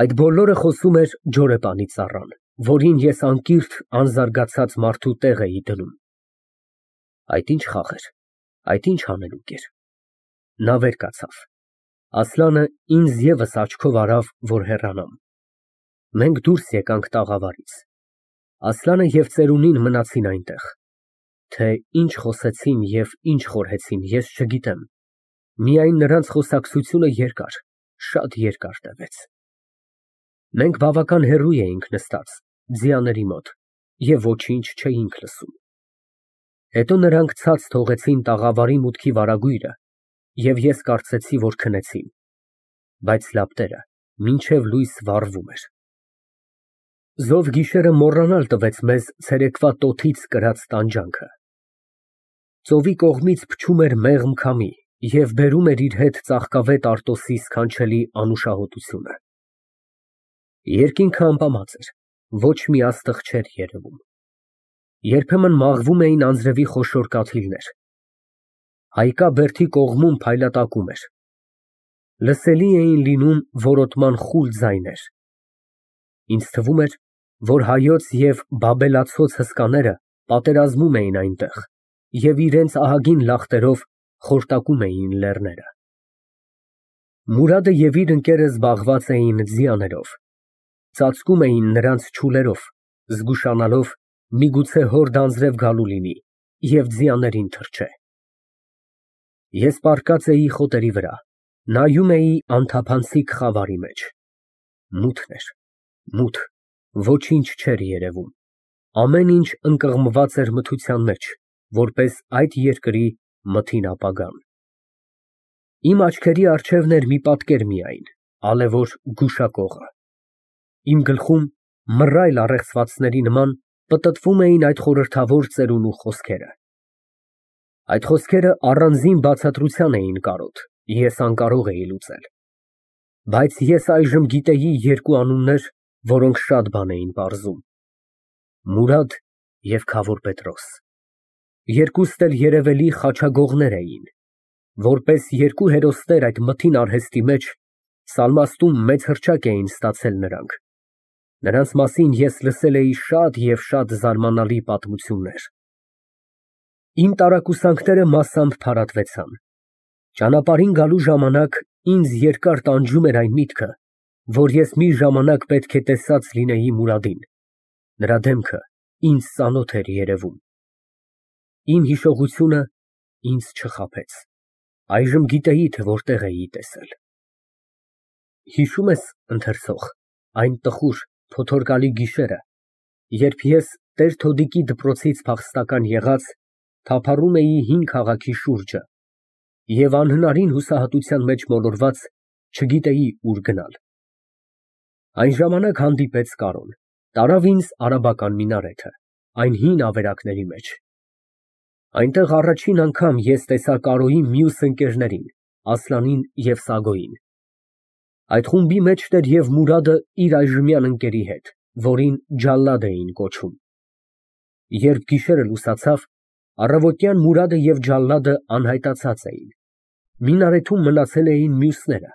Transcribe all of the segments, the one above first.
Այդ բոլորը խոսում էր ջորեպանի ծառան, որին ես անկիրթ անզարգացած մարդու տեղ էի դնում։ Այդ ինչ խաղ էր, այդ ինչ հանելուկ էր։ Նա վեր կացավ։ Ասլանը ինձ ևս աչքով արավ, որ հեռանամ։ Մենք դուրս եկանք տաղավարից։ Ասլանը և ծերունին մնացին այնտեղ։ Թե ինչ խոսեցին և ինչ խորհեցին, ես չգիտեմ, միայն նրանց խոսակցությունը երկար, շատ երկար տևեց։ Մենք բավական հեռու էինք նստած, ձիաների մոտ, և ոչինչ չէինք լսում։ Հետո նրանք ցած թողեցին տաղավարի մուտքի վարագույրը, և ես կարծեցի, որ քնեցին, բայց լապտերը մինչև լույս վառվում էր։ Զով գիշերը մոռանալ տվեց մեզ ցերեկվա տոթից կրած տանջանքը։ Ծովի կողմից փչում էր մեղմ քամի և բերում էր իր հետ ծաղկավետ Արտոսի սքանչելի անուշահոտությունը։ Երկինքը ամպամած էր, ոչ մի աստղ չէր երևում։ Երբեմն մաղվում էին անձրևի խոշոր կաթիլներ։ Հայկա բերդի կողմում փայլատակում էր։ Լսելի էին լինում որոտման խուլ ձայներ։ Ինձ թվում էր, որ հայոց և բաբելացոց հսկաները պատերազմում էին այնտեղ և իրենց ահագին լախտերով խորտակում էին լեռները։ Մուրադը և իր ընկերը զբաղված էին ձիաներով, ծածկում էին նրանց չուլերով, զգուշանալով միգուցե հորդ անձրև գալու լինի և ձիաներին թռչե։ Ես պառկած էի խոտերի վրա, նայում էի անթափանցիկ խավարի մեջ։ Մութն էր, մութ, ոչինչ չէր երևում, ամեն ինչ ընկղմված էր մթության մեջ, որպես այդ երկրի մթին ապագան։ Իմ աչքերի առջևն էր մի պատկեր միայն, ալևոր գուշակողը։ Իմ գլխում մռայլ առեղծվածների նման պտտվում էին այդ խորհրդավոր ծերունու խոսքերը։ Այդ խոսքերը առանձին բացատրության էին կարոտ, ես անկարող էի լուծել։ Բայց ես այժմ գիտեի երկու անուններ, որոնք շատ բան էին պարզում. Մուրադ և Քավոր Պետրոս։ Երկուստ էլ երևելի խաչագողներ էին։ Որպես երկու հերոսներ այդ մթին արհեստի մեջ Սալմաստում մեծ հռչակ էին ստացել նրանք։ Նրանց մասին ես լսել էի շատ և շատ զարմանալի պատմություններ։ Իմ տարակուսանքները մասամբ փարատվեցան։ Ճանապարհին գալու ժամանակ ինձ երկար տանջում էր այն միտքը, որ ես մի ժամանակ պետք է տեսած լինեի Մուրադին, նրա դեմքը ինձ ծանոթ էր երևում։ Իմ հիշողությունը ինձ չխաբեց, այժմ գիտեի, թե որտեղ էի տեսել։ Հիշո՞ւմ ես, ընթերցող, այն տխուր, փոթորկալի գիշերը, երբ ես տեր֊Թոդիկի դպրոցից փախստական եղած, թափառում էի հին քաղաքի շուրջը և անհնարին հուսահատության մեջ մոլորված չգիտեի ուր գնալ։ Այն ժամանակ հանդիպեց Կարոն, տարավ ինձ արաբական մինարեթը, այն հին ավերակների մեջ։ Այնտեղ առաջին անգամ ես տեսա Կարոյի մյուս ընկերներին՝ Ասլանին և Սագոյին։ Այդ խումբի մեջն էր և Մուրադը իր այժմյան ընկերի հետ, որին Ջալլադ էին կոչում։ Երբ գիշերը լուսացավ, առավոտյան Մուրադը և Ջալլադը անհայտացած էին։ Մինարեթում մնացել էին մյուսները։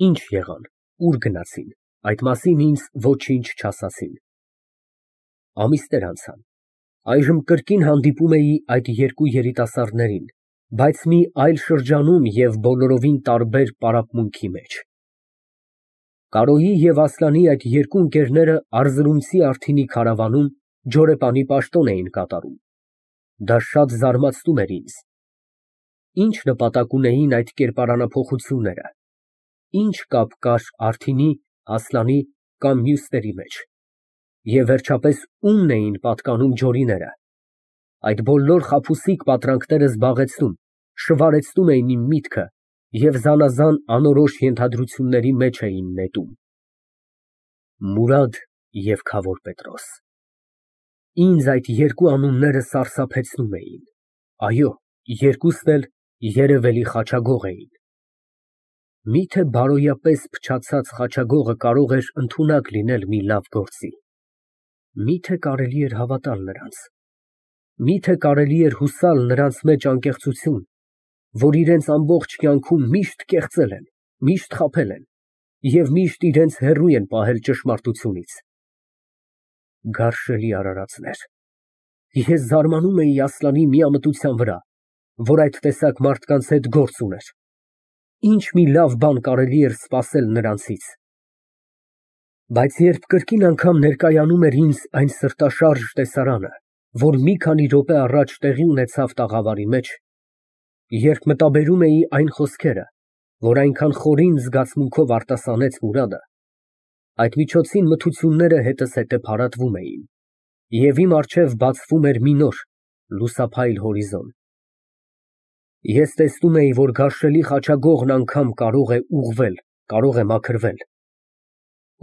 Ինչ եղան, ուր գնացին, այդ մասին ինձ ոչինչ չասացին։ Ամիսներ անցան, այժմ կրկին հանդիպում էի այդ երկու երիտասարդներին, բայց մի այլ շրջանում և բոլորովին տարբեր պարապմունքի մեջ։ Կարոյի և Ասլանի այդ երկու ընկերները Արզրումցի Արթինի քարավանում ջորեպանի պաշտոն էին կատարում։ Դա շատ զարմացնում էր ինձ։ Ինչ նպատակ ունեին այդ կերպարանափոխությունները, ինչ կապ կար Արթինի, Ասլանի կամ մյուսների մեջ, և վերջապես ումն էին պատկանում ջորիները։ Այդ բոլոր խաբուսիկ պատրանքները զբաղեցնում, շվարեցնում էին իմ միտքը և զանազան անորոշ ենթադրությունների մեջ էին նետում։ Մուրադ և Քավոր Պետրոս։ Ինձ այդ երկու անունները սարսափեցնում էին։ Այո, երկուսն էլ երևելի խաչագող էին։ Մի՞թե բարոյապես փչացած խաչագողը կարող էր ընդունակ լինել մի լավ գործի։ Մի՞թե կարելի էր հավատալ նրանց։ Մի՞թե կարելի էր հուսալ նրանց մեջ անկեղծություն, որ իրենց ամբողջ կյանքում միշտ կեղծել են, միշտ խաբել են։ և միշտ իրենց հեռու են պահել ճշմարտությունից։ Գարշելի արարածներ։ Ես զարմանում էի Ասլանի միամտության վրա, որ այդ տեսակ մարդկանց հետ գործ ուներ։ Ինչ մի լավ բան կարելի էր սպասել նրանցից։ Բայց երբ կրկին անգամ ներկայանում էր ինձ այն սրտաշարժ տեսարանը, որ մի քանի րոպե առաջ տեղի ունեցավ տաղավարի մեջ, երբ մտաբերում էի այն խոսքերը, որ այնքան խորին զգացմունքով արտասանեց Մուրադը, այդ միջոցին մթությունները հետզհետե փարատվում էին, և իմ առջև բացվում էր մի նոր, լուսափայլ հորիզոն։ Ես տեսնում էի, որ գարշելի խաչագողն անգամ կարող է ուղղվել, կարող է մաքրվել։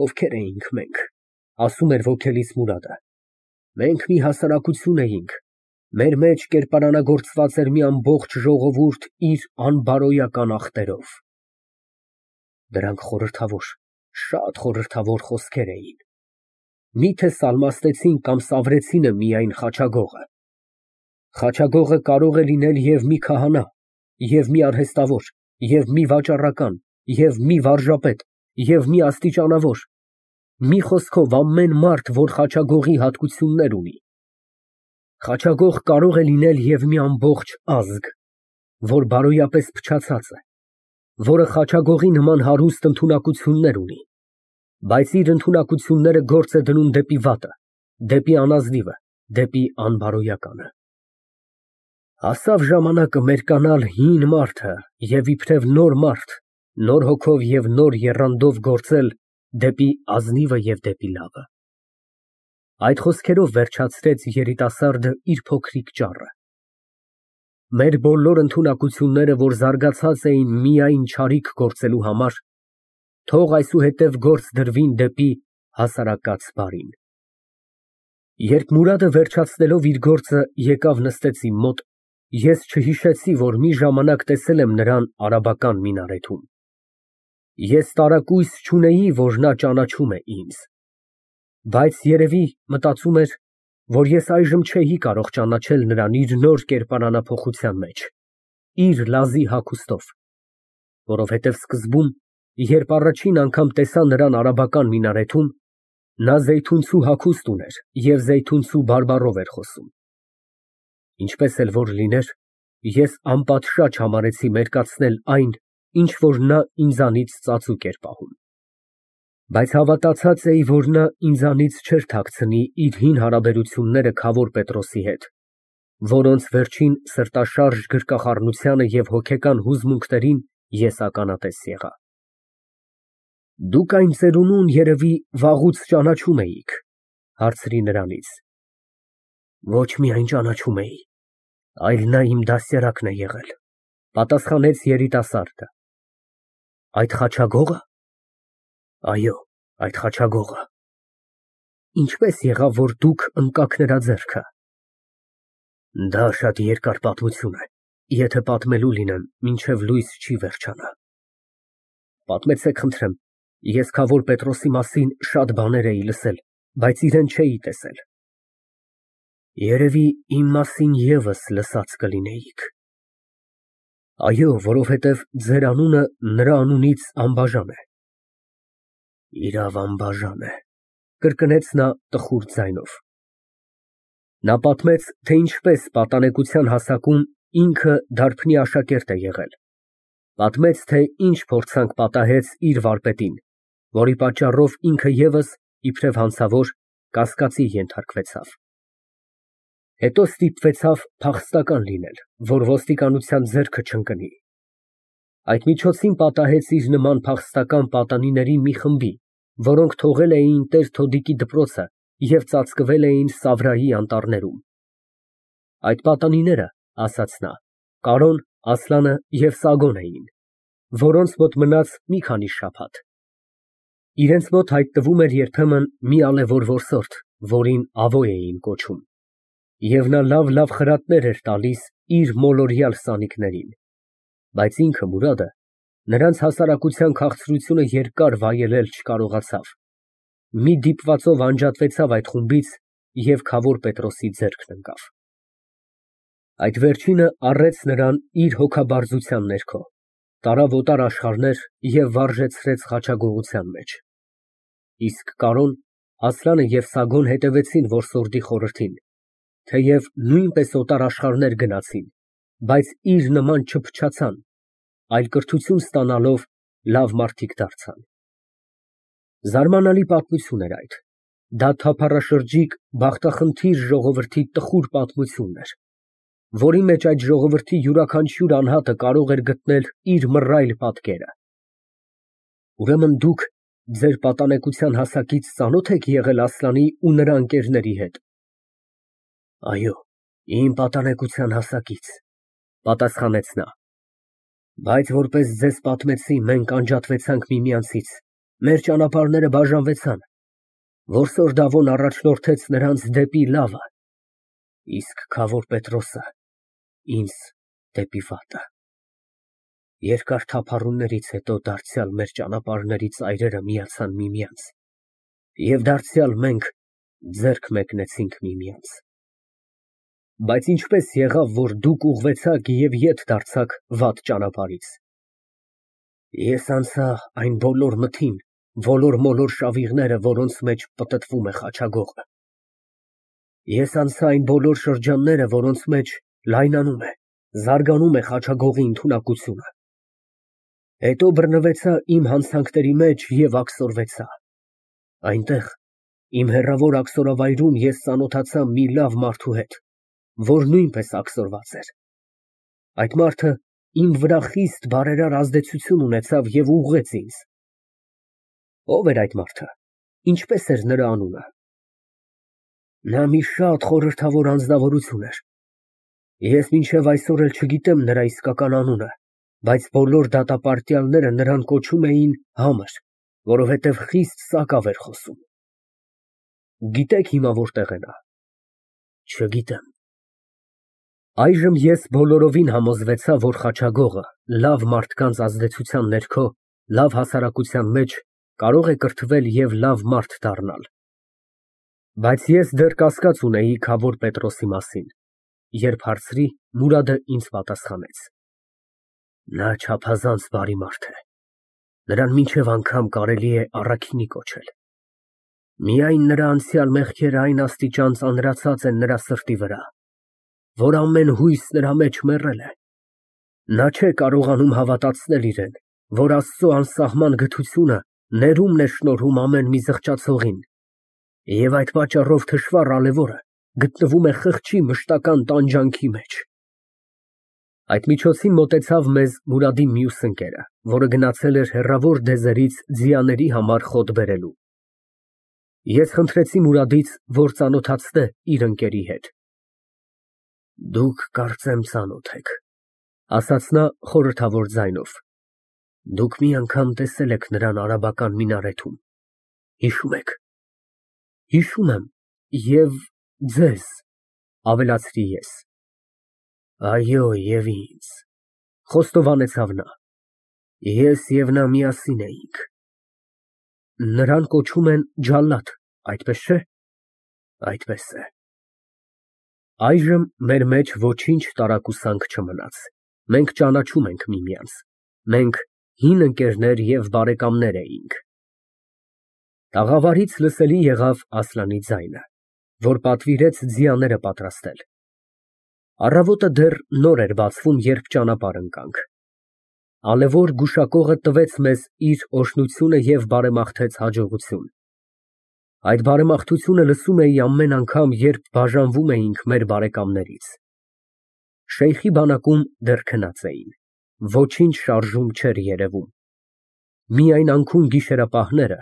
Ովքեր էինք մենք, ասում էր ոգելից Մուրադը։ Մենք մի հասարակություն էինք, մեր մեջ կերպարանագործված էր մի ամբողջ ժողովուրդ իր անբարոյական ախտերով։ Դրանք խորհրդավոր, շատ խորհրդավոր խոսքեր էին։ Միթե սալմաստեցին կամ սավրեցինը միայն խաչագողը։ Խաչագողը կարող է լինել և մի քահանա, և մի արհեստավոր, և մի վաճառական, և մի վարժապետ, և մի աստիճանավոր, մի խոսքով ամեն մարդ, որ խաչագողի հատկություններ ունի։ Խաչագող կարող է լինել և մի ամբողջ ազգ, որ բարոյապես փչացած է, որը խաչագողի նման հարուստ ընդունակություններ ունի, բայց իր ընդունակությունները գործ է դնում դեպի վատը, դեպի անազնիվը, դեպի անբարոյականը։ Հասավ ժամանակը մերկանալ հին մարդը և իբրև նոր մարդ, նոր հոգով և նոր եռանդով գործել դեպի ազնիվը և դեպի լավը։ Այդ խոսքերով վերջացրեց երիտասարդը իր փոքրիկ ճառը։ Մեր բոլոր ընդունակությունները, որ զարգացած էին միայն չարիք գործելու համար, թող այսուհետև գործ դրվին դեպի հասարակած բարին։ Երբ Մուրադը վերջացնելով իր գործը եկավ նստեց իմ մոտ, ես չհիշեցի, որ մի ժամանակ տեսել եմ նրան արաբական մինարեթում։ Ես տարակույս չունեի, որ նա ճանաչում է ինձ, բայց երևի մտածում էր, որ ես այժմ չէի կարող ճանաչել նրան իր նոր կերպարանափոխության մեջ, իր լազի հագուստով, որովհետև սկզբում, երբ առաջին անգամ տեսա նրան արաբական մինարեթում, նա զեյթունցու հագուստ ուներ և զեյթունցու բարբառով էր խոսում։ Ինչպես էլ որ լիներ, ես անպատշաճ համարեցի մերկացնել այն, ինչ որ նա ինձանից ծածուկ էր պահում։ Բայց հավատացած էի, որ նա ինձանից չէր թաքցնի իր հին հարաբերությունները Քավոր Պետրոսի հետ, որոնց վերջին սրտաշարժ գրկախառնությանը և հոգեկան հուզմունքներին ես ականատես եղա։ Դուք այն ծերունուն երևի վաղուց ճանաչում էիք, հարցրի նրանից։ Ոչ միայն ճանաչում էի, այլ նա իմ դաստիարակն է եղել, պատասխանեց երիտասարդը։ Այդ խաչագո՞ղը։ Այո, այդ խաչագողը։ Ինչպես եղավ, որ դուք ընկաք նրա ձեռքը։ Դա շատ երկար պատմություն է, եթե պատմելու լինեմ, մինչև լույս չի վերջանա։ Պատմեցեք, խնդրեմ, ես Քավոր Պետրոսի մասին շատ բաներ էի լսել, բայց իրեն չէի տեսել։ Երևի իմ մասին ևս լսած կլինեիք։ Այո, որովհետև ձեր անունը նրա անունից անբաժան է։ Իրավ, անբաժան է, կրկնեց նա տխուր ձայնով։ Նա պատմեց, թե ինչպես պատանեկության հասակում ինքը դարբնի աշակերտ է եղել, պատմեց, թե ինչ փորձանք պատահեց իր վարպետին, որի պատճառով ինքը ևս, իբրև հանցավոր, կասկածի ենթարկվեցավ։ Հետո ստիպվեցավ փախստական լինել, որ ոստիկանության ձեռքը չընկնի։ Այդ միջոցին պատահեց իր նման փախստական պատանիների մի խմբի, որոնք թողել էին տեր-թոդիկի դպրոցը և ծածկվել էին Սավրայի անտառներում։ Այդ պատանիները, ասաց նա, Կարոն, Ասլանը և Սագոն էին, որոնց մոտ մնաց մի քանի շաբաթ։ Իրենց մոտ հայտնվում էր երբեմն մի ալեվոր որսորդ, որին Ավոյ էին կոչում, և նա լավ խրատներ էր տալիս իր մոլորյալ սանիկներին, բայց ինքը Մուրադը նրանց հասարակության քաղցրությունը երկար վայելել չկարողացավ, մի դիպվածով անջատվեցավ այդ խումբից և Քավոր Պետրոսի ձեռքն ընկավ։ Այդ վերջինը առեց նրան իր հոգաբարձության ներքո, տարավ օտար աշխարհներ և վարժեցրեց խաչագողության մեջ։ Իսկ Կարոն, Ասլանը և Սագոն հետևեցին որսորդի խորհրդին, թեև նույնպես օտար աշխարհներ գնացին, բայց իր նման չփչացան, այլ կրթություն ստանալով լավ մարդիկ դարձան։ Զարմանալի պատմություն էր այդ, դա թափառաշրջիկ, բախտախնդիր ժողովրդի տխուր պատմությունն էր, որի մեջ այդ ժողովրդի յուրաքանչյուր անհատը կարող էր գտնել իր մռայլ պատկերը։ Ուրեմն դուք ձեր պատանեկության հասակից ծանո՞թ եք եղել Ասլանի ու նրա ընկերների հետ։ Այո, իմ պատանեկության հասակից, պատասխանեց նա, բայց որպես ձեզ պատմեցի, մենք անջատվեցանք միմյանցից, մեր ճանապարհները բաժանվեցան, որսորդ Դավոն առաջնորդեց նրանց դեպի լավը, իսկ Քավոր Պետրոսը ինձ դեպի վատը։ Երկար թափառումներից հետո դարձյալ մեր ճանապարհների ծայրերը միացան միմյանց, և դարձյալ մենք ձեռք մեկնեցինք միմյանց։ Բայց ինչպես եղավ, որ դուք ուղղվեցաք և ետ դարձաք վատ ճանապարհից։ Ես անցա այն բոլոր մթին, ոլոր-մոլոր շավիղները, որոնց մեջ պտտվում է խաչագողը։ Ես անցա այն բոլոր շրջանները, որոնց մեջ լայնանում է, զարգանում է խաչագողի ընդունակությունը։ Հետո բռնվեցա իմ հանցանքների մեջ և աքսորվեցա։ Այնտեղ, իմ հեռավոր աքսորավայրում ես ծանոթացա մի լավ մարդու հետ, որ նույնպես աքսորված էր։ Այդ մարդը իմ վրա խիստ բարերար ազդեցություն ունեցավ և ուղղեց ինձ։ Ո՞վ էր այդ մարդը, ինչպես էր նրա անունը։ Նա մի շատ խորհրդավոր անձնավորություն էր։ Ես մինչև այսօր էլ չգիտեմ նրա իսկական անունը, բայց բոլոր դատապարտյալները նրան կոչում էին Համր, որովհետև խիստ սակավ էր խոսում։ Գիտեք հիմա որտեղ է նա։ Չգիտեմ։ Այժմ ես բոլորովին համոզվեցա, որ խաչագողը լավ մարդկանց ազդեցության ներքո լավ հասարակության մեջ կարող է կրթվել և լավ մարդ դառնալ։ Բայց ես դեռ կասկած ունեի Քավոր Պետրոսի մասին, երբ հարցրի, Մուրադը ինձ պատասխանեց. Նա չափազանց բարի մարդ է, նրան մինչև անգամ կարելի է առաքինի կոչել։ Միայն նրա անցյալ մեղքերը այն աստիճան ծանրացած են նրա սրտի վրա, որ ամեն հույս նրա մեջ մեռել է։ Նա չէ կարողանում հավատացնել իրեն, որ Աստծո անսահման գթությունը ներումն է շնորհում ամեն մի զղջացողին, և այդ պատճառով թշվառ ալեվորը գտնվում է խղճի մշտական տանջանքի մեջ։ Այդ միջոցին մոտեցավ մեզ Մուրադի մյուս ընկերը, որը գնացել էր հեռավոր դեզերից ձիաների համար խոտ բերելու։ Ես խնդրեցի Մուրադից, որ ծանոթացնե իր ընկերի հետ։ Դուք կարծեմ ծանոթ եք, ասաց նա խորհրդավոր ձայնով։ Դուք մի անգամ տեսել եք նրան արաբական մինարեթում, հիշում եք։ Հիշում եմ, և ձեզ, ավելացրի ես։ Այո, և ինձ, խոստովանեցավ նա։ Ես և նա միասին էինք։ Նրան կոչում են Ջալլադ, այդպես չէ։ Այդպես է։ Այժմ մեր մեջ ոչինչ տարակուսանք չմնաց, մենք ճանաչում ենք միմյանց, մենք հին ընկերներ և բարեկամներ էինք։ Տաղավարից լսելի եղավ Ասլանի ձայնը, որ պատվիրեց ձիաները պատրաստել։ Առավոտը դեռ նոր էր բացվում, երբ ճանապարհ ընկանք։ Ալեվոր գուշակողը տվեց մեզ իր օրհնությունը և բարեմաղթեց հաջողություն։ Այդ բարեմաղթությունը լսում էի ամեն անգամ, երբ բաժանվում էինք մեր բարեկամներից։ Շեյխի բանակում դեռ քնած էին, ոչինչ շարժում չէր երևում։ Միայն անքուն գիշերապահները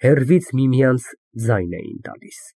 հեռվից միմյանց ձայն էին տալիս։